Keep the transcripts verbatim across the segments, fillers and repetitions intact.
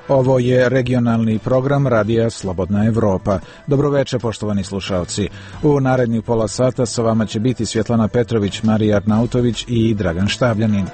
Ovo je regionalni program Radija Slobodna Evropa. Dobroveče, poštovani slušalci. U narednih pola sata sa vama će biti Svjetlana Petrović, Marija Arnautović i Dragan Štabljanin.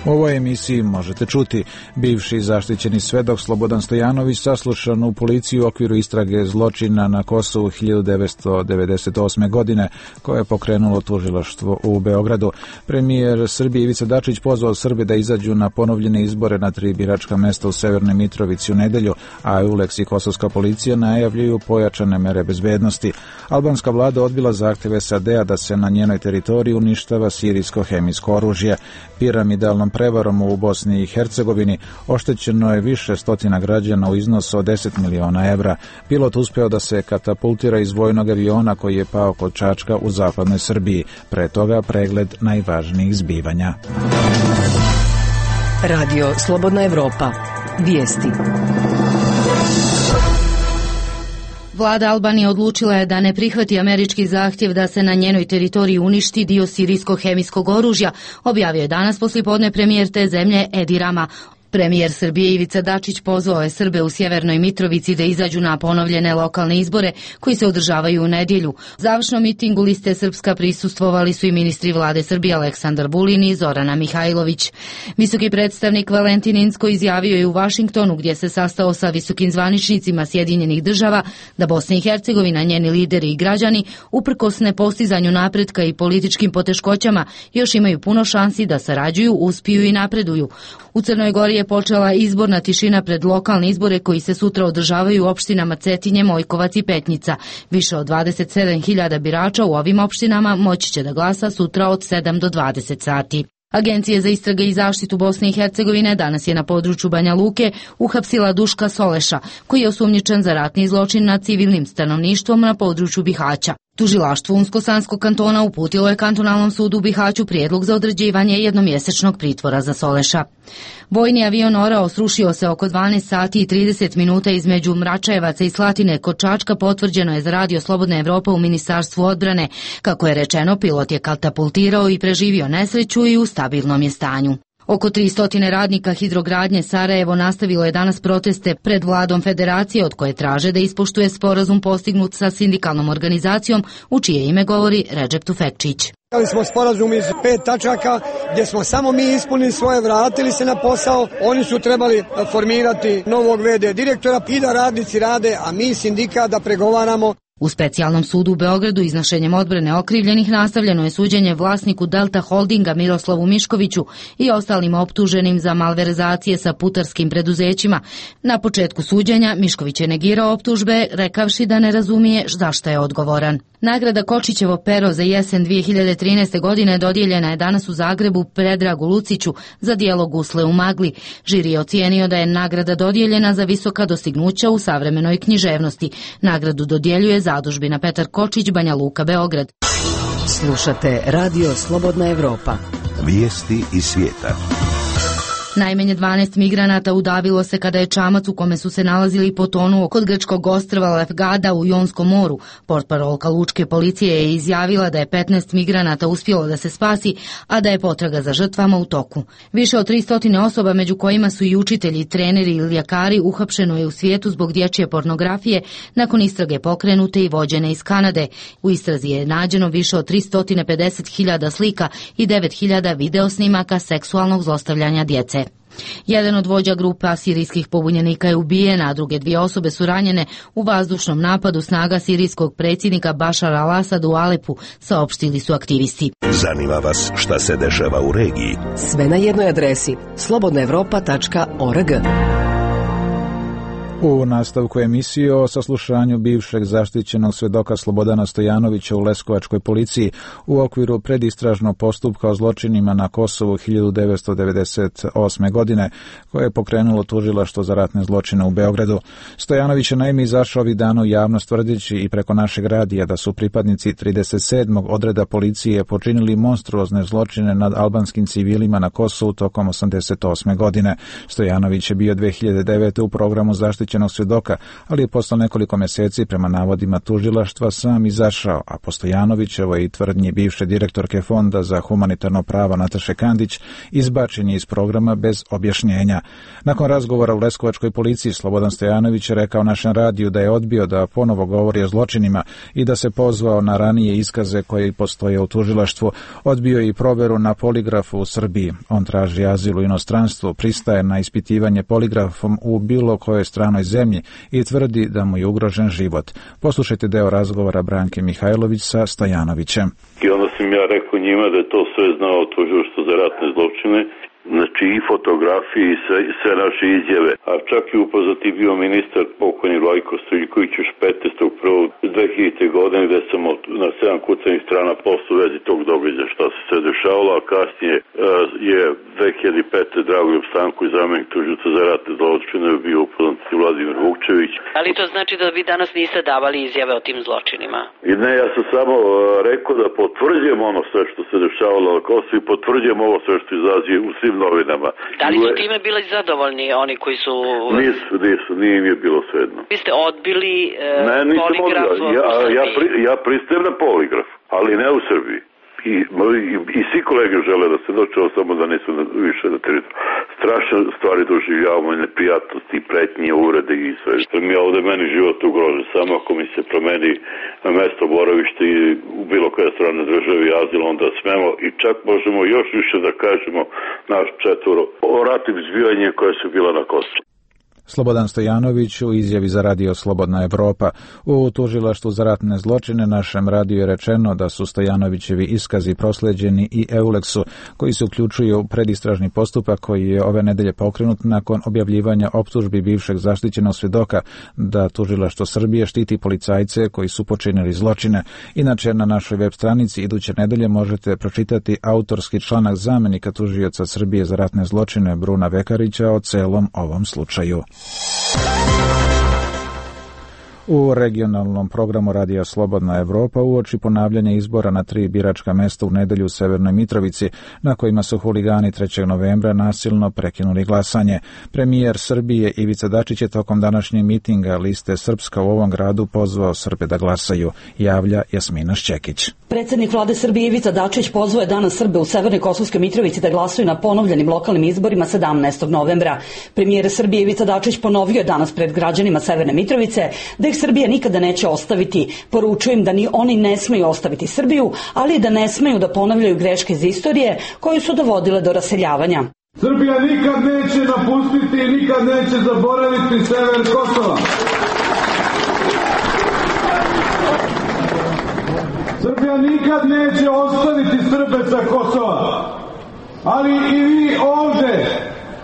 U ovoj emisiji možete čuti: bivši zaštićeni svedok Slobodan Stojanović saslušan u policiji u okviru istrage zločina na Kosovu hiljadu devetsto devedeset osme. godine, koje je pokrenulo tužilaštvo u Beogradu. Premijer Srbije Ivica Dačić pozvao Srbe da izađu na ponovljene izbore na tri biračka mesta u Severnoj Mitrovici u nedelju, a EULEX i kosovska policija najavljuju pojačane mere bezbednosti. Albanska vlada odbila zahtev S A D-a da se na njenoj teritoriji uništava sirijsko hemijsko oružje. Piramidalnom prevarom u Bosni i Hercegovini oštećeno je više stotina građana u iznosu od deset miliona evra. Pilot uspeo da se katapultira iz vojnog aviona koji je pao kod Čačka u zapadnoj Srbiji. Pre toga pregled najvažnijih zbivanja. Radio Slobodna Evropa. Vijesti. Vlada Albanije odlučila je da ne prihvati američki zahtjev da se na njenoj teritoriji uništi dio sirijskog hemijskog oružja, objavio je danas poslijepodne premijer te zemlje Edi Rama. Premijer Srbije Ivica Dačić pozvao je Srbe u Sjevernoj Mitrovici da izađu na ponovljene lokalne izbore koji se održavaju u nedjelju. Završnom mitingu Liste Srpska prisustvovali su i ministri vlade Srbije Aleksandar Vulin i Zorana Mihajlović. Visoki predstavnik Valentin Inzko izjavio je u Vašingtonu, gdje se sastao sa visokim zvaničnicima Sjedinjenih država, da Bosna i Hercegovina, njeni lideri i građani, uprkos nepostizanju napretka i političkim poteškoćama, još imaju puno šansi da sarađuju, uspiju i napreduju. U Crnoj Gori je počela izborna tišina pred lokalne izbore koji se sutra održavaju u opštinama Cetinje, Mojkovac i Petnica. Više od dvadeset sedam hiljada birača u ovim opštinama moći će da glasa sutra od sedam do dvadeset sati. Agencija za istrage i zaštitu Bosne i Hercegovine danas je na području Banja Luke uhapsila Duška Soleša, koji je osumnjičen za ratni zločin nad civilnim stanovništvom na području Bihaća. Tužilaštvo Unsko-Sanskog kantona uputilo je kantonalnom sudu u Bihaću prijedlog za određivanje jednomjesečnog pritvora za Soleša. Vojni avion Orao srušio se oko dvanaest sati i trideset minuta između Mračajevaca i Slatine kod Čačka, potvrđeno je za Radio Slobodna Evropa u Ministarstvu odbrane. Kako je rečeno, pilot je katapultirao i preživio nesreću i u stabilnom je stanju. Oko tristo radnika Hidrogradnje Sarajevo nastavilo je danas proteste pred vladom federacije, od koje traže da ispoštuje sporazum postignut sa sindikalnom organizacijom, u čije ime govori Redžep Tufekčić. Imali smo sporazum iz pet tačaka gdje smo samo mi ispunili svoje, vratili se na posao. Oni su trebali formirati novog ve de direktora i da radnici rade, a mi sindikat da pregovaramo. U specijalnom sudu u Beogradu iznošenjem odbrane okrivljenih nastavljeno je suđenje vlasniku Delta Holdinga Miroslavu Miškoviću i ostalim optuženim za malverzacije sa putarskim preduzećima. Na početku suđenja Mišković je negirao optužbe, rekavši da ne razumije za šta je odgovoran. Nagrada Kočićevo pero za jesen dvije hiljade trinaeste. godine dodijeljena je danas u Zagrebu Predragu Luciću za djelo Gusle u magli. Žiri je ocijenio da je nagrada dodijeljena za visoka dostignuća u savremenoj književnosti. Nagradu dodjeljuje Zadužbina Petar Kočić, Banja Luka, Beograd. Slušate Radio Slobodna Evropa. Vijesti iz svijeta. Najmanje dvanaest migranata udavilo se kada je čamac u kome su se nalazili potonuo kod grčkog ostrva Lefgada u Jonskom moru. Portparolka lučke policije je izjavila da je petnaest migranata uspjelo da se spasi, a da je potraga za žrtvama u toku. Više od tristo osoba, među kojima su i učitelji, treneri ili ljekari, uhapšeno je u svijetu zbog dječje pornografije nakon istrage pokrenute i vođene iz Kanade. U istrazi je nađeno više od tristo pedeset hiljada slika i devet hiljada videosnimaka seksualnog zlostavljanja djece. Jedan od vođa grupa sirijskih pobunjenika je ubijen, a druge dvije osobe su ranjene u vazdušnom napadu snaga sirijskog predsjednika Bašara al-Asada u Alepu, saopštili su aktivisti. Zanima vas šta se dešava u regiji? Sve na jednoj adresi slobodna evropa tačka org. U nastavku emisije o saslušanju bivšeg zaštićenog svedoka Slobodana Stojanovića u leskovačkoj policiji u okviru predistražnog postupka o zločinima na Kosovu hiljadu devetsto devedeset osme. godine, koje je pokrenulo tužilaštvo za ratne zločine u Beogradu. Stojanović je naime izašao ovih dana u javnost tvrdeći i preko našeg radija da su pripadnici trideset sedmog odreda policije počinili monstruozne zločine nad albanskim civilima na Kosovu tokom osamdeset osme. godine. Stojanović je bio dve hiljade devete. u programu zaštićenog zaštićenog svjedoka, ali je posle nekoliko mjeseci prema navodima tužilaštva sam izašao, a po Stojanovićevoj i tvrdnji bivše direktorke Fonda za humanitarno pravo Nataše Kandić izbačen je iz programa bez objašnjenja. Nakon razgovora u leskovačkoj policiji Slobodan Stojanović je rekao našem radiju da je odbio da ponovo govori o zločinima i da se pozvao na ranije iskaze koje postoje u tužilaštvu. Odbio je i proveru na poligrafu u Srbiji. On traži azil u inostranstvu, pristaje na ispitivanje poligrafom u bilo kojoj stranoj zemlji i tvrdi da mu je ugrožen život. Poslušajte deo razgovora Branke Mihajlović sa Stojanovićem. I onda sam ja rekao njima da je to sve znao tužilaštvo za ratne zločine, znači i fotografije i sve, sve naše izjave. A čak i upoznati bio ministar pokojni Vlajko Stojiljković još petnaestog prvog dve hiljadite. godine gde sam na sedam kucanih strana posle u vezi tog događaja šta se sve dešavalo, a kasnije uh, je dve hiljade pete. Dragoljub Stanković, zamenik tužioca za ratne zločine, bio upoznati Vladimir Vukčević. Ali to znači da vi danas niste davali izjave o tim zločinima? I ne, ja sam samo uh, rekao da potvrđujem ono sve što se dešavalo na Kosovu i potvrđujem ovo sve što izlazi u svim novinama. Da li su time bili zadovoljni oni koji su... Nisu, nisu, nije im je bilo svejedno. Vi ste odbili e, ne, poligraf odbila. Ja, u ja, pri, ja pristajem na poligraf, ali ne u Srbiji. I, i, i svi kolege žele da se dočeo, samo da nisu na, više na teritoriju. Strašne stvari doživljavamo, neprijatnosti, pretnje, uvrede i sve. Mi je ovde meni život ugrožen, samo ako mi se promeni mesto boravište i u bilo koje strane države i azil, onda smemo i čak možemo još više da kažemo naš četvoro o ratnim zbivanjima koje su bila na Kosovu. Slobodan Stojanović u izjavi za radio Slobodna Evropa. U tužilaštvu za ratne zločine našem radiju je rečeno da su Stojanovićevi iskazi prosleđeni i Euleksu, koji se uključuju u predistražni postupak koji je ove nedelje pokrenut nakon objavljivanja optužbi bivšeg zaštićenog svjedoka da tužilaštvo Srbije štiti policajce koji su počinili zločine. Inače, na našoj web stranici iduće nedelje možete pročitati autorski članak zamenika tužioca Srbije za ratne zločine Bruna Vekarića o celom ovom slučaju. U regionalnom programu Radija Slobodna Evropa uoči ponavljanja izbora na tri biračka mesta u nedelju u Severnoj Mitrovici, na kojima su huligani trećeg novembra nasilno prekinuli glasanje. Premijer Srbije Ivica Dačić je tokom današnjeg mitinga liste Srpska u ovom gradu pozvao Srbe da glasaju, javlja Jasmina Šćekić. Predsjednik vlade Srbije Ivica Dačić pozvao je danas Srbe u Severnoj Kosovskoj Mitrovici da glasaju na ponovljenim lokalnim izborima sedamnaestog novembra. Premijer Srbije Ivica Dačić ponovio je danas pred građanima Severne Mitrovice da ih Srbija nikada neće ostaviti. Poručuju im da ni oni ne smeju ostaviti Srbiju, ali i da ne smeju da ponavljaju greške iz istorije koje su dovodile do raseljavanja. Srbija nikad neće napustiti i nikad neće zaboraviti sever Kosova. Srbija nikad neće ostaviti Srbe sa Kosova. Ali i vi ovde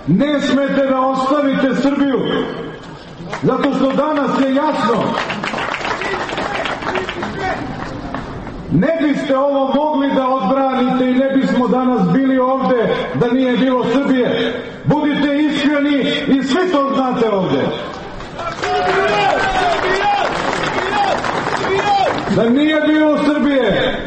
ne smete da ostavite Srbiju. Zato što danas je jasno, ne biste ovo mogli da odbranite i ne bismo danas bili ovde da nije bilo Srbije. Budite iskreni i svi to znate ovde. Da nije bilo Srbije,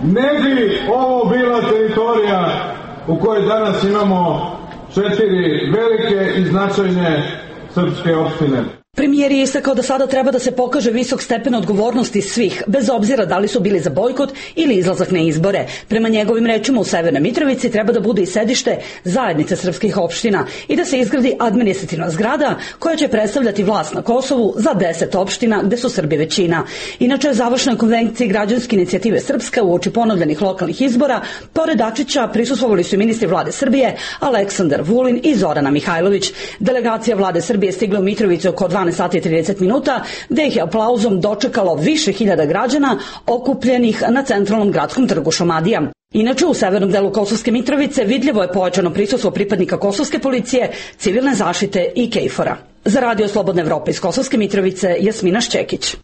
ne bi ovo bila teritorija u kojoj danas imamo četiri velike i značajne srpske opštine. Premijer je istakao da sada treba da se pokaže visok stepen odgovornosti svih, bez obzira da li su bili za bojkot ili izlazak na izbore. Prema njegovim rečima u Severnoj Mitrovici treba da bude i sedište zajednice srpskih opština i da se izgradi administrativna zgrada koja će predstavljati vlast na Kosovu za deset opština gde su Srbi većina. Inače, u završnoj konvenciji građanske inicijative Srpska uoči ponovljenih lokalnih izbora, pored Dačića prisustvovali su i ministri vlade Srbije Aleksandar Vulin i Zorana Mihajlović. Delegacija vlade Srbije stigla u Mitrovicu oko dvanaest sati i trideset minuta, gde ih je aplauzom dočekalo više hiljada građana okupljenih na centralnom gradskom trgu Šumadija. Inače, u severnom delu Kosovske Mitrovice vidljivo je pojačano prisustvo pripadnika Kosovske policije, civilne zaštite i KFOR-a. Za radio Slobodna Evropa iz Kosovske Mitrovice, Jasmina Šćekić.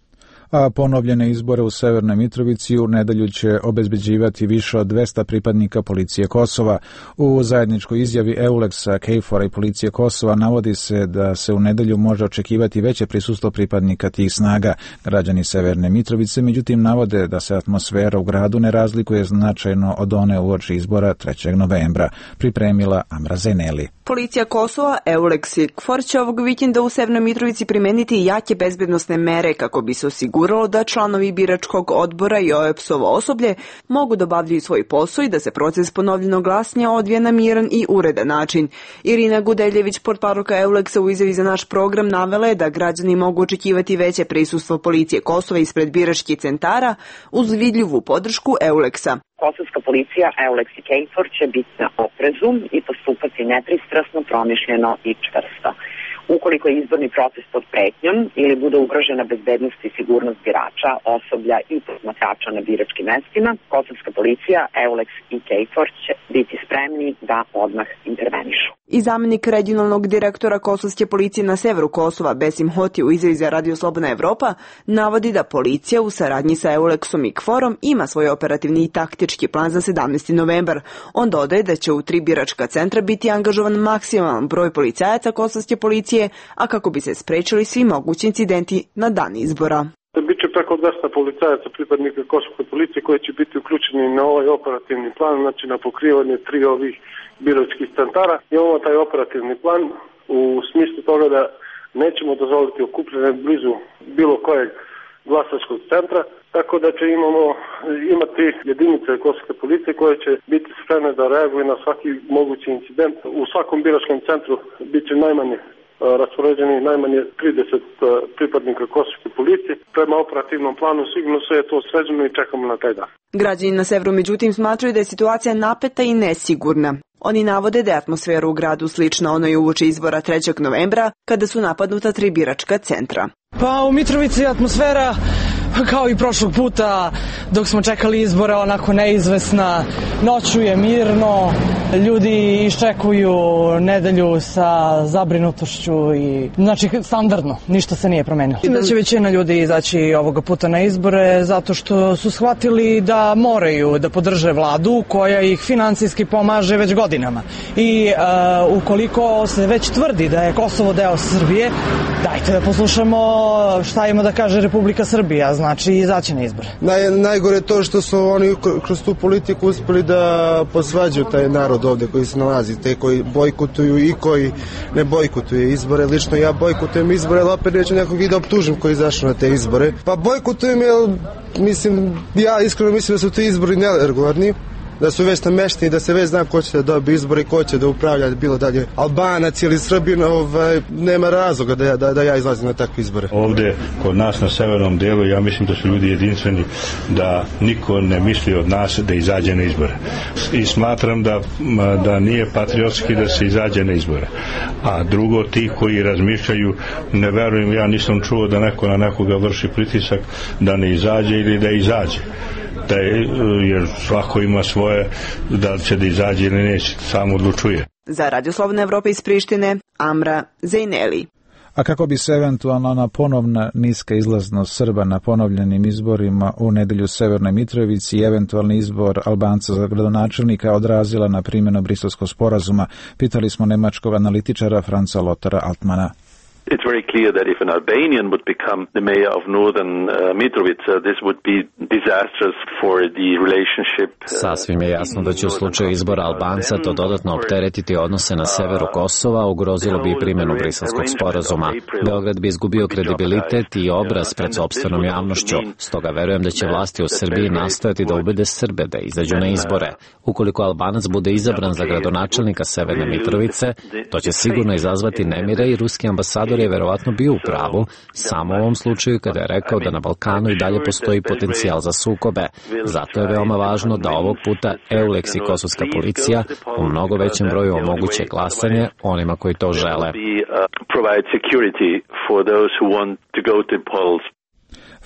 a ponovljene izbore u Severnoj Mitrovici u nedelju će obezbeđivati više od dvesta pripadnika policije Kosova. U zajedničkoj izjavi Euleksa, KFOR-a i policije Kosova navodi se da se u nedelju može očekivati veće prisustvo pripadnika tih snaga. Građani Severne Mitrovice međutim navode da se atmosfera u gradu ne razlikuje značajno od one uoči izbora trećeg novembra. Pripremila Amra Zeneli. Policija Kosova, Euleks i KFOR će ovog vikenda u Severnoj Mitrovici primeniti jake bezbednosne mere kako bi se osiguralo da članovi biračkog odbora i O E P S-ovo osoblje mogu da obavljaju svoj posao i da se proces ponovljenog glasanja odvija na miran i uredan način. Irina Gudeljević, portparolka Euleksa, u izjavi za naš program navela je da građani mogu očekivati veće prisustvo policije Kosova ispred biračkih centara uz vidljivu podršku Euleksa. Kosovska policija, Euleks i KFOR će biti na oprezu i postupati nepristrasno, promišljeno i čvrsto. Ukoliko je izborni proces pod pretnjom ili bude ugrožena bezbednost i sigurnost birača, osoblja i posmatrača na biračkim mestima, Kosovska policija, Euleks i KFOR će biti spremni da odmah intervenišu. I zamenik regionalnog direktora Kosovske policije na severu Kosova, Besim Hoti, u izjavi za Radio Slobodna Evropa, navodi da policija u saradnji sa Euleksom i KFOR-om ima svoj operativni i taktički plan za sedamnaesti novembar. On dodaje da će u tri biračka centra biti angažovan maksimalan broj policajaca Kosovske policije, a kako bi se sprečili svi mogući incidenti na dan izbora. Biće preko dvesta policajaca pripadnika Kosovske policije koji će biti uključeni na ovaj operativni plan, znači na pokrivanje tri ovih biračkih centara. Imamo taj operativni plan u smislu toga da nećemo dozvoliti okupljanje blizu bilo kojeg glasačkog centra, tako da će imamo imati jedinice Kosovske policije koje će biti spremne da reaguju na svaki mogući incident. U svakom biračkom centru bit će najmanje raspoređeni najmanje trideset pripadnika Kosovske policije. Prema operativnom planu sigurno sve je to sređeno i čekamo na taj dan. Građani na severu međutim smatraju da je situacija napeta i nesigurna. Oni navode da je atmosfera u gradu slična onoj uoči izbora trećeg novembra kada su napadnuta tri biračka centra. Pa u Mitrovici atmosfera kao i prošlog puta dok smo čekali izbore onako neizvesna, noću je mirno, ljudi iščekuju nedelju sa zabrinutošću i znači standardno, ništa se nije promenilo. Mislim da će većina ljudi izaći ovoga puta na izbore zato što su shvatili da moraju da podrže vladu koja ih finansijski pomaže već godinama. I uh, ukoliko se već tvrdi da je Kosovo deo Srbije, dajte da poslušamo šta ima da kaže Republika Srbija, znači izaći na izbore. Naj, najgore je to što su oni kroz tu politiku uspeli da posvađaju taj narod ovde koji se nalazi, te koji bojkotuju i koji ne bojkotuju izbore. Lično ja bojkotujem izbore, ali opet neću nekog i da optužim koji izašao na te izbore. Pa bojkotujem jer mislim, ja iskreno mislim da su ti izbori neregularni, da su već namešteni, da se već zna ko će da dobije izbore i ko će da upravlja, bilo dalje Albanac ili Srbin, ovaj, nema razloga da ja, da, da ja izlazim na takve izbore. Ovde, kod nas na severnom delu, ja mislim da su ljudi jedinstveni, da niko ne misli od nas da izađe na izbore. I smatram da, da nije patriotski da se izađe na izbore. A drugo, ti koji razmišljaju, ne verujem, ja nisam čuo da neko na nekoga vrši pritisak da ne izađe ili da izađe. Da je, jer svako ima svoje, da li će da izađe ili neće, samo odlučuje. Za Radio Slobodna Evropa iz Prištine, Amra Zeneli. A kako bi se eventualno na ponovna niska izlaznost Srba na ponovljenim izborima u nedelju u Severnoj Mitrovici i eventualni izbor Albanca za gradonačelnika odrazila na primjenu Briselskog sporazuma, pitali smo nemačkog analitičara Franza Lothara Altmana. It's very clear that if an Albanian would become the mayor of northern uh, Mitrovica, this would be disastrous for the relationship. Uh, Sasvim je jasno da će u slučaju izbora Albanca to dodatno opteretiti odnose na severu Kosova, ugrozilo bi i primjenu Briselskog sporazuma. Beograd bi izgubio kredibilitet i obraz pred sopstvenom javnošću. Stoga verujem da će vlasti u Srbiji nastojati da ubede Srbe da izađu na izbore. Ukoliko Albanac bude izabran za gradonačelnika Severne Mitrovice, to će sigurno izazvati nemire i ruski ambasador je verovatno bio u pravu, samo u ovom slučaju kada je rekao da na Balkanu i dalje postoji potencijal za sukobe. Zato je veoma važno da ovog puta Euleks i kosovska policija u mnogo većem broju omoguće glasanje onima koji to žele.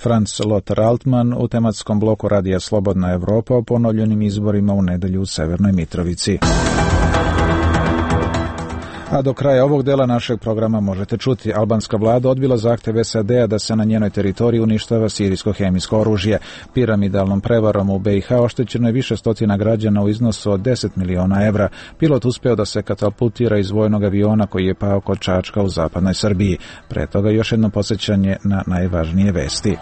Franz Lothar Altman u tematskom bloku Radija Slobodna Evropa o ponovljenim izborima u nedelju u Severnoj Mitrovici. A do kraja ovog dela našeg programa možete čuti: albanska vlada odbila zahtev S A D-a da se na njenoj teritoriji uništava sirijsko hemijsko oružje. Piramidalnom prevarom u B i H oštećeno je više stotina građana u iznosu od deset miliona evra. Pilot uspeo da se katapultira iz vojnog aviona koji je pao kod Čačka u zapadnoj Srbiji. Pre toga još jedno podsjećanje na najvažnije vesti.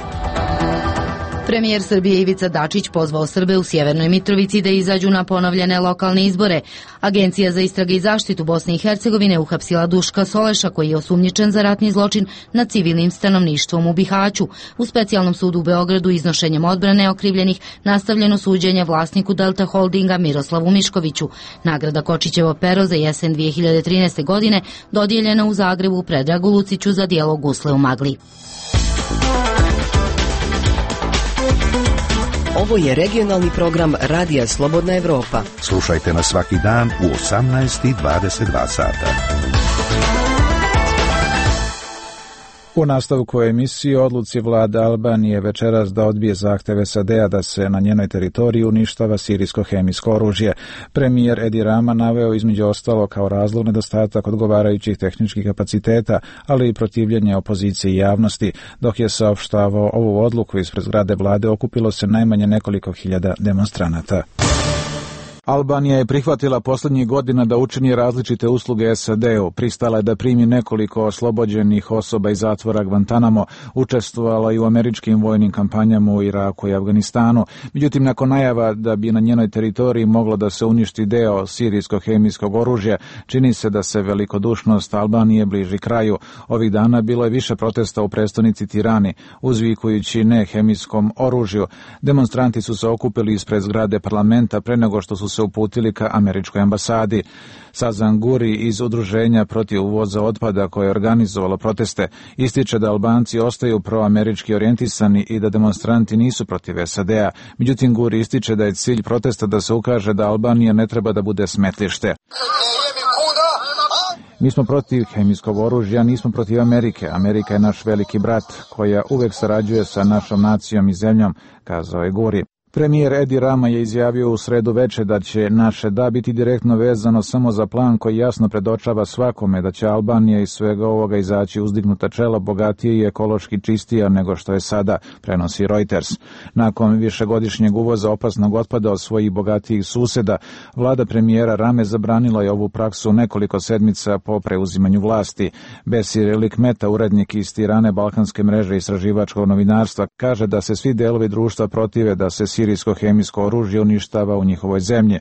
Premijer Srbije Ivica Dačić pozvao Srbe u Sjevernoj Mitrovici da izađu na ponovljene lokalne izbore. Agencija za istrage i zaštitu Bosne i Hercegovine uhapsila Duška Soleša, koji je osumnjičen za ratni zločin nad civilnim stanovništvom u Bihaću. U specijalnom sudu u Beogradu iznošenjem odbrane okrivljenih nastavljeno suđenje vlasniku Delta Holdinga Miroslavu Miškoviću. Nagrada Kočićevo pero za jesen dvije hiljade trinaeste. godine dodijeljena u Zagrebu Predragu Luciću za djelo Gusle u magli. Ovo je regionalni program Radija Slobodna Evropa. Slušajte nas svaki dan u osamnaest i dvadeset dva sata. U nastavku emisije odluci vlade Albanije večeras da odbije zahteve S A D-a da se na njenoj teritoriji uništava sirijsko hemijsko oružje. Premijer Edi Rama naveo između ostalo kao razlog nedostatak odgovarajućih tehničkih kapaciteta, ali i protivljenje opozicije i javnosti. Dok je saopštavao ovu odluku, ispred zgrade vlade okupilo se najmanje nekoliko hiljada demonstranata. Albanija je prihvatila posljednjih godina da učini različite usluge S A D-u. Pristala je da primi nekoliko oslobođenih osoba iz zatvora Guantanamo, učestvovala i u američkim vojnim kampanjama u Iraku i Afganistanu. Međutim, nakon najava da bi na njenoj teritoriji moglo da se uništi deo sirijskog hemijskog oružja, čini se da se velikodušnost Albanije bliži kraju. Ovih dana bilo je više protesta u prestonici Tirani, uzvikujući ne hemijskom oružju. Demonstranti su se okupili ispred zgrade parlamenta pre nego što su se uputili ka američkoj ambasadi. Sazan Guri iz udruženja protiv uvoza otpada koje je organizovalo proteste ističe da Albanci ostaju proamerički orijentisani i da demonstranti nisu protiv S A D-a. Međutim, Guri ističe da je cilj protesta da se ukaže da Albanija ne treba da bude smetlište. Mi smo protiv hemijskog oružja, nismo protiv Amerike. Amerika je naš veliki brat koja uvek sarađuje sa našom nacijom i zemljom, kazao je Guri. Premijer Edi Rama je izjavio u sredu veče da će naše da biti direktno vezano samo za plan koji jasno predočava svakome da će Albanija iz svega ovoga izaći uzdignuta čela, bogatije i ekološki čistija nego što je sada, prenosi Reuters. Nakon višegodišnjeg uvoza opasnog otpada od svojih bogatijih suseda, vlada premijera Rame zabranila je ovu praksu nekoliko sedmica po preuzimanju vlasti. Besir Likmeta, urednik iz Tirane balkanske mreže istraživačkog novinarstva, kaže da se svi delovi društva protive da se sirijsko hemijsko oružje uništava u njihovoj zemlji.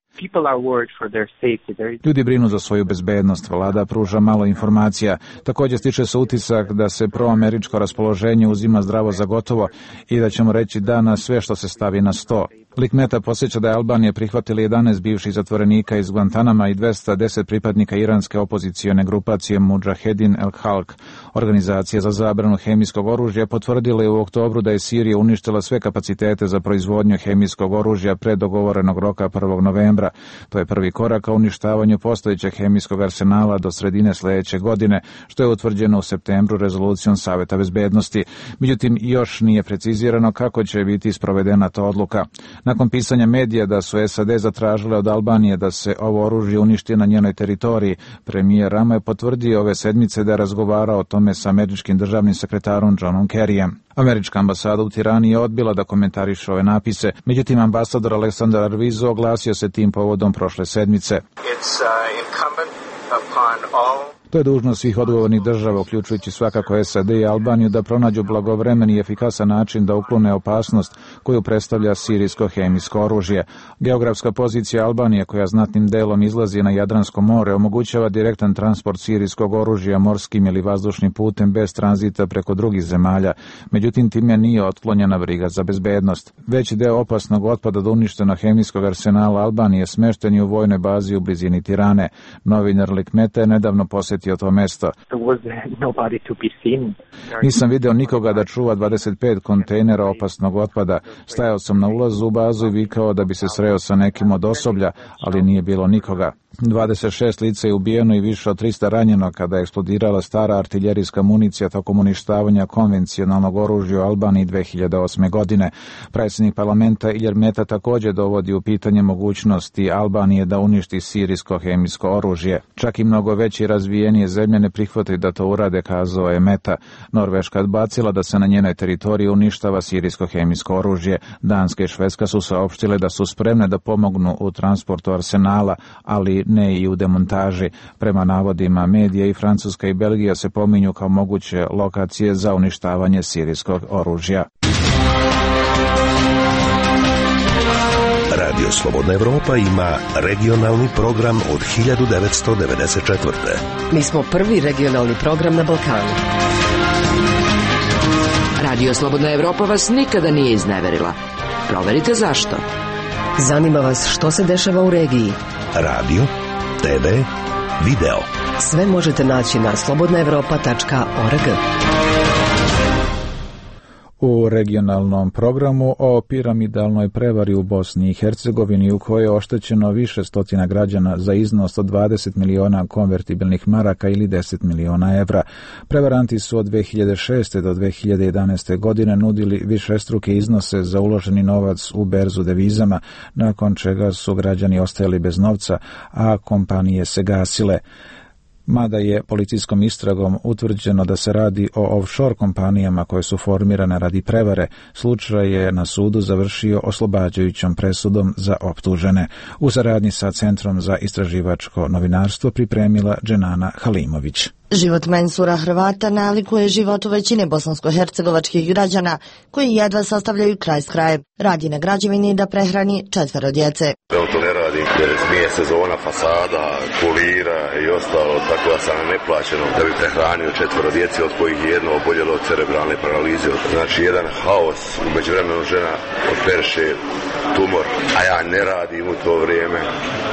Ljudi brinu za svoju bezbednost, vlada pruža malo informacija. Također stiče se utisak da se proameričko raspoloženje uzima zdravo za gotovo i da ćemo reći da na sve što se stavi na sto. Likmeta posjeća da je Albanija prihvatila jedanaest bivših zatvorenika iz Guantanama i dvesta deset pripadnika iranske opozicione grupacije Mudžahedin el-Halk. Organizacija za zabranu hemijskog oružja potvrdila je u oktobru da je Sirija uništila sve kapacitete za proizvodnju hemijskog oružja pre dogovorenog roka prvog novembra. To je prvi korak ka uništavanju postojećeg hemijskog arsenala do sredine sljedeće godine, što je utvrđeno u septembru rezolucijom Saveta bezbednosti. Međutim, još nije precizirano kako će biti sprovedena ta odluka. Nakon pisanja medija da su S A D zatražile od Albanije da se ovo oružje uništi na njenoj teritoriji, premijer Rama je potvrdio ove sedmice da je razgovarao o tome sa američkim državnim sekretarom Johnom Kerryjem. Američka ambasada u Tirani je odbila da komentariše ove napise, međutim ambasador Aleksandar Arvizo oglasio se tim povodom prošle sedmice. It's, uh, incumbent upon all... To je dužnost svih odgovornih država, uključujući svakako S A D i Albaniju, da pronađu blagovremeni i efikasan način da uklone opasnost koju predstavlja sirijsko hemijsko oružje. Geografska pozicija Albanije, koja znatnim delom izlazi na Jadransko more, omogućava direktan transport sirijskog oružja morskim ili vazdušnim putem bez tranzita preko drugih zemalja. Međutim, time nije otklonjena briga za bezbednost. Veći deo opasnog otpada do uništenog hemijskog arsenala Albanije smešten je u vojnoj bazi u blizini Tirane. Novinar Likmeta je nedavno posjetio to mesto. Nisam video nikoga da čuva dvadeset pet kontejnera opasnog otpada. Stajao sam na ulazu u bazu i vikao da bi se sreo sa nekim od osoblja, ali nije bilo nikoga. dvadeset šest lica je ubijeno i više od trista ranjeno kada je eksplodirala stara artiljerijska municija tokom uništavanja konvencionalnog oružja u Albaniji dve hiljade osme. godine. Predsjednik parlamenta Ilir Meta također dovodi u pitanje mogućnosti Albanije da uništi sirijsko hemijsko oružje. Čak i mnogo veće i razvijenije zemlje ne prihvataju da to urade, kazao je Meta. Norveška je odbacila da se na njenoj teritoriji uništava sirijsko hemijsko oružje. Danska i Švedska su saopštile da su spremne da pomognu u transportu arsenala, ali ne i u demontaži. Prema navodima medija i Francuska i Belgija se pominju kao moguće lokacije za uništavanje sirijskog oružja. Radio Slobodna Evropa ima regionalni program od hiljadu devetsto devedeset četvrte. Mi smo prvi regionalni program na Balkanu. Radio Slobodna Evropa vas nikada nije izneverila. Proverite zašto. Zanima vas što se dešava u regiji. Radio, te ve, video. Sve možete naći na slobodna evropa tačka org. U regionalnom programu o piramidalnoj prevari u Bosni i Hercegovini u kojoj je oštećeno više stotina građana za iznos od dvadeset miliona konvertibilnih maraka ili deset miliona evra. Prevaranti su od dve hiljade šeste. do dve hiljade jedanaeste. godine nudili višestruke iznose za uloženi novac u berzu devizama, nakon čega su građani ostajali bez novca, a kompanije se gasile. Mada je policijskom istragom utvrđeno da se radi o offshore kompanijama koje su formirane radi prevare, slučaj je na sudu završio oslobađajućom presudom za optužene. U saradnji sa Centrom za istraživačko novinarstvo pripremila Dženana Halimović. Život Mensura Hrvata nalikuje životu većine bosansko-hercegovačkih građana koji jedva sastavljaju kraj s krajem. Radi na građevini da prehrani četvero djece. On to ne radi jer smije sezona fasada, kulira i ostalo, tako da sam neplaćeno da bi prehranio četvero djece od kojih je jedno oboljelo od cerebralne paralize. Znači jedan haos, u međuvremenu žena operiše tumor, a ja ne radim u to vrijeme.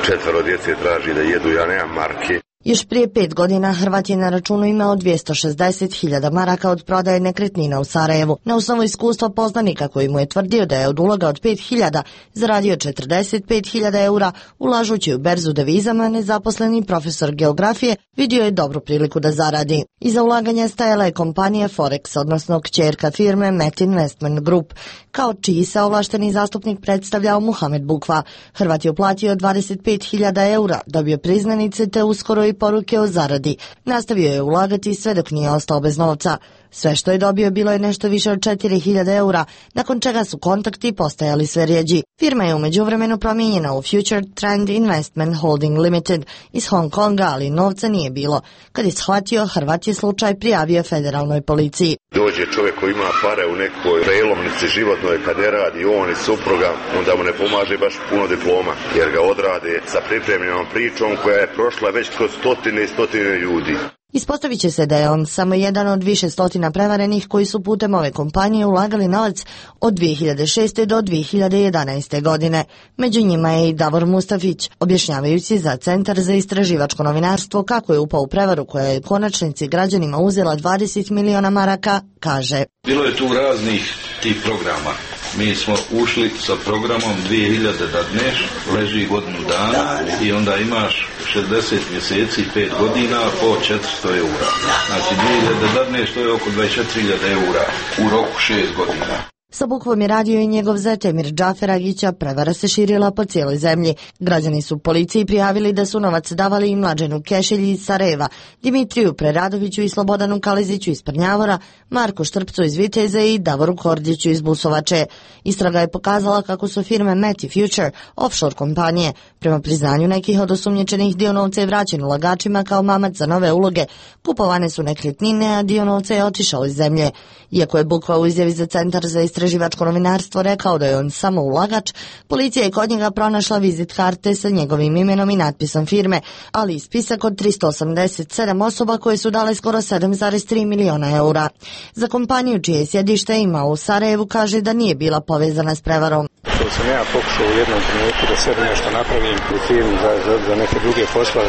Četvero djece traži da jedu, ja nemam marke. Još prije pet godina Hrvat je na računu imao dvjesto šezdeset hiljada maraka od prodaje nekretnina u Sarajevu. Na osnovu iskustva poznanika koji mu je tvrdio da je od uloga od pet hiljada zaradio četrdeset pet hiljada eura, ulažući u berzu devizama, nezaposleni profesor geografije vidio je dobru priliku da zaradi. Iza ulaganja stajala je kompanija Forex, odnosno kćerka firme Met Investment Group, kao čiji se ovlašteni zastupnik predstavljao Muhamed Bukva. Hrvat je uplatio dvadeset pet hiljada eura, dobio priznanice te uskoro i poruke o zaradi. Nastavio je ulagati sve dok nije ostao bez novca. Sve što je dobio bilo je nešto više od četiri hiljade eura, nakon čega su kontakti postajali sve rjeđi. Firma je u međuvremenu promijenjena u Future Trend Investment Holding Limited iz Hong Konga, ali novca nije bilo. Kad je shvatio, Hrvat je slučaj prijavio federalnoj policiji. Dođe čovjek koji ima pare u nekoj prelomnici životnoj, kad ne radi on i supruga, onda mu ne pomaže baš puno diploma, jer ga odrade sa pripremljenom pričom koja je prošla već kroz stotine i stotine ljudi. Ispostavit će se da je on samo jedan od više stotina prevarenih koji su putem ove kompanije ulagali novac od dvije hiljade šeste. do dvije hiljade jedanaeste. godine. Među njima je i Davor Mustafić, objašnjavajući za Centar za istraživačko novinarstvo kako je upao u prevaru koja je konačnici građanima uzela dvadeset miliona maraka, kaže. Bilo je tu raznih tih programa. Mi smo ušli sa programom dvije hiljade da dneš, leži godinu dana i onda imaš šezdeset mjeseci, pet godina po četiristo eura. Znači dvije hiljade da dneš, to je oko dvadeset četiri hiljade eura u roku šest godina. Sa Bukvom je radio i njegov zet Emir Džaferagića, prevara se širila po cijeloj zemlji. Građani su policiji prijavili da su novac davali i Mlađenu Kešelji iz Sarajeva, Dimitriju Preradoviću i Slobodanu Kaleziću iz Prnjavora, Marku Štrpcu iz Viteze i Davoru Kordiću iz Busovače. Istraga je pokazala kako su firme Met i Future offshore kompanije. Prema priznanju nekih od osumnjičenih, dio novca je vraćen ulagačima kao mamac za nove uloge. Kupovane su nekretnine, a dio novca je otišao iz zemlje. Iako je Bukva u izjavi za Centar za istraživačko novinarstvo rekao da je on samo ulagač, policija je kod njega pronašla vizit karte sa njegovim imenom i natpisom firme, ali i spisak od tristo osamdeset sedam osoba koje su dale skoro sedam zarez tri miliona eura. Za kompaniju čije sjedište ima u Sarajevu kaže da nije bila povezana s prevarom. To sam ja pokušao u jednom trenutku da sebi nešto napravim u firmi za, za, za neke druge poslove,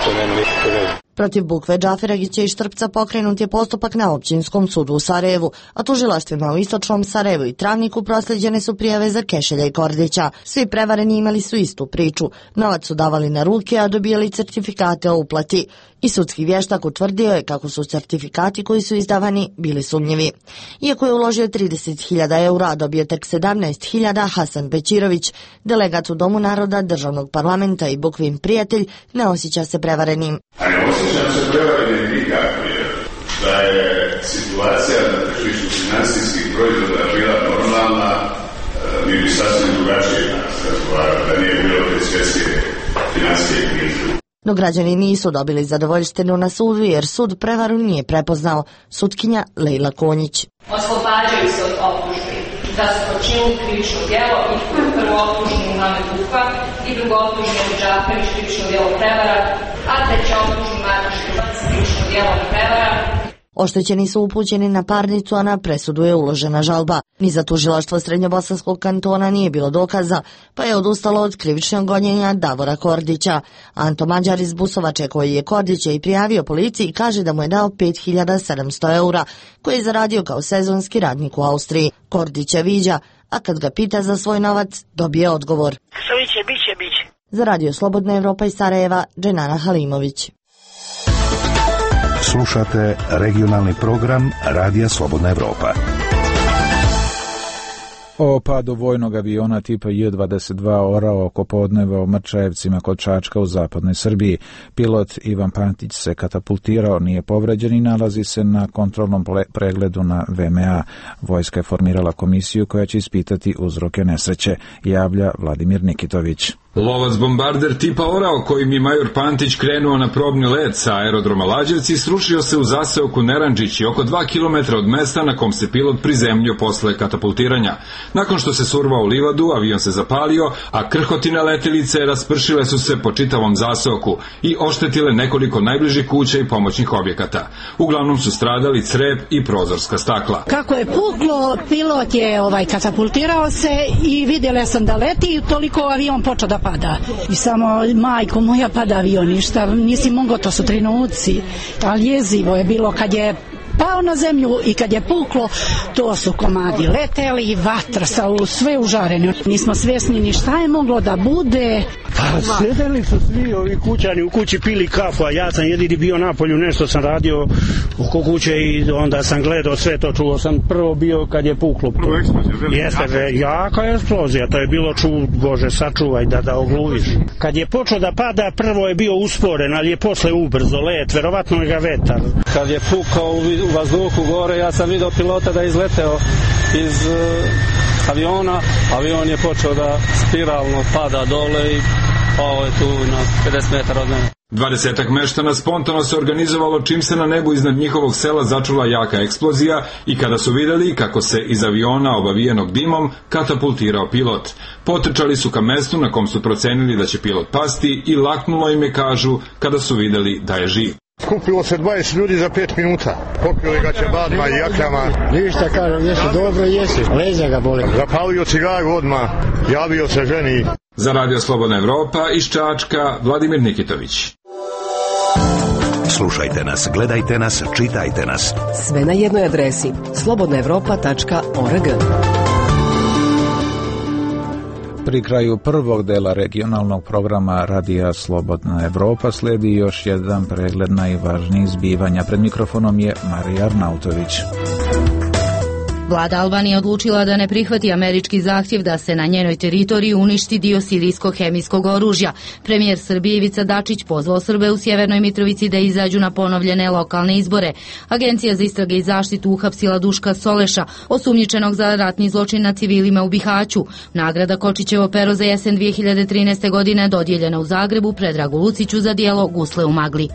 to nema nikakve veze. Protiv Bukve Džaferagića i Štrpca pokrenut je postupak na općinskom sudu u Sarajevu, a tužilaštvima u Istočnom Sarajevu i Travniku proslijeđene su prijave za Kešelja i Kordića. Svi prevareni imali su istu priču. Novac su davali na ruke, a dobijali certifikate o uplati. I sudski vještak utvrdio je kako su certifikati koji su izdavani bili sumnjivi. Iako je uložio trideset hiljada eura, a dobio tek sedamnaest hiljada, Hasan Bećirović, delegat u Domu naroda, državnog parlamenta i Bukvin prijatelj, ne osjeća se prevarenim. A ne osjećam se prevarenim nikako, jer da je situacija na tržištu finansijskih proizvoda bila normalna, mi bi sasvim drugačije nas razgovarali, da nije bilo te svjetske finansijske krize. No građani nisu dobili zadovoljštinu na sudu jer sud prevaru nije prepoznao. Sutkinja Lejla Konjić. Oslobađaju se od optužbi da su počinili krivično djelo i prvo optužni Muhamed Bukva i drugo optužni Edi Džaferić krivično djelo prevara, a treće optužni Marko Štrbac krivično djelo prevara. Oštećeni su upućeni na parnicu, a na presudu je uložena žalba. Ni za tužilaštvo Srednjobosanskog kantona nije bilo dokaza, pa je odustalo od krivičnog gonjenja Davora Kordića. Anto Mađar iz Busovače, koji je Kordića i prijavio policiji, kaže da mu je dao pet hiljada sedamsto eura, koje je zaradio kao sezonski radnik u Austriji. Kordića viđa, a kad ga pita za svoj novac, dobije odgovor. Što biće, biće, biće. Za Radio Slobodna Evropa iz Sarajeva, Dženana Halimović. Slušate regionalni program Radija Slobodna Evropa. O padu vojnog aviona tipa J dvadeset dva orao oko podneva u Mrčajevcima kod Čačka u zapadnoj Srbiji. Pilot Ivan Pantić se katapultirao, nije povređen i nalazi se na kontrolnom pregledu na V M A. Vojska je formirala komisiju koja će ispitati uzroke nesreće, javlja Vladimir Nikitović. Lovac bombarder tipa Orao kojim je major Pantić krenuo na probni let sa aerodroma Lađevci srušio se u zaseoku Neranđići oko dva kilometra od mesta na kom se pilot prizemljio posle katapultiranja. Nakon što se survao u livadu, avion se zapalio, a krhotine letelice raspršile su se po čitavom zaseoku i oštetile nekoliko najbližih kuća i pomoćnih objekata. Uglavnom su stradali crep i prozorska stakla. Kako je puklo, pilot je ovaj katapultirao se i vidjela sam da leti i toliko avion počeo da pada. I samo, majko moja, pada avion, ništa, nisi mogao, to su trenuci, ali jezivo je bilo kad je pao na zemlju i kad je puklo, to su komadi leteli i vatra sa sve užarene. Nismo svjesni ni šta je moglo da bude. Pa sjedeli su svi ovi kućani u kući, pili kafu, a ja sam jedini bio napolju, nešto sam radio oko kuće i onda sam gledao sve to, čuo sam prvo bio kad je puklo. Jeste, jaka eksplozija, to je bilo čuo, Bože sačuvaj da da ogluviš. Kad je počeo da pada, prvo je bio usporen, ali je posle ubrzo let, verovatno je ga vetar. Kad je pukao u vazduhu gore, ja sam vidio pilota da je izleteo iz uh, aviona, avion je počeo da spiralno pada dole i pao je tu na pedeset metara od mene. Dvadesetak meštana spontano se organizovalo čim se na nebu iznad njihovog sela začula jaka eksplozija i kada su vidjeli kako se iz aviona obavijenog dimom katapultirao pilot. Potrčali su ka mestu na kom su procenili da će pilot pasti i laknulo im je, kažu, kada su vidjeli da je živ. Skupilo se dvadeset ljudi za pet minuta. Pokrili ga ćebadima i jakljama. Ništa, kažem, jesi dobro, jesi. Leđa ga boli. Zapalio cigaru odmah, javio se ženi. Za Radio Slobodna Evropa iz Čačka, Vladimir Nikitović. Slušajte nas, gledajte nas, čitajte nas. Sve na jednoj adresi slobodna evropa tačka org. Pri kraju prvog dela regionalnog programa Radija Slobodna Evropa sledi još jedan pregled najvažnijih zbivanja. Pred mikrofonom je Marija Arnautović. Vlada Albanije odlučila da ne prihvati američki zahtjev da se na njenoj teritoriji uništi dio sirijskog hemijskog oružja. Premijer Srbije Ivica Dačić pozvao Srbe u Sjevernoj Mitrovici da izađu na ponovljene lokalne izbore. Agencija za istrage i zaštitu uhapsila Duška Soleša, osumnjičenog za ratni zločin nad civilima u Bihaću. Nagrada Kočićevo pero za jesen dvije hiljade trinaeste. godine dodijeljena u Zagrebu Predragu Luciću za djelo Gusle u magli.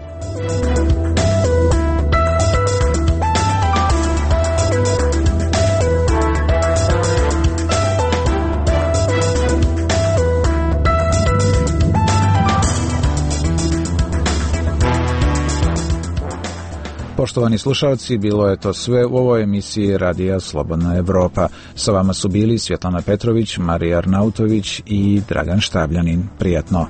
Poštovani slušalci, bilo je to sve u ovoj emisiji Radija Slobodna Evropa. Sa vama su bili Svjetlana Petrović, Marija Arnautović i Dragan Štabljanin. Prijatno.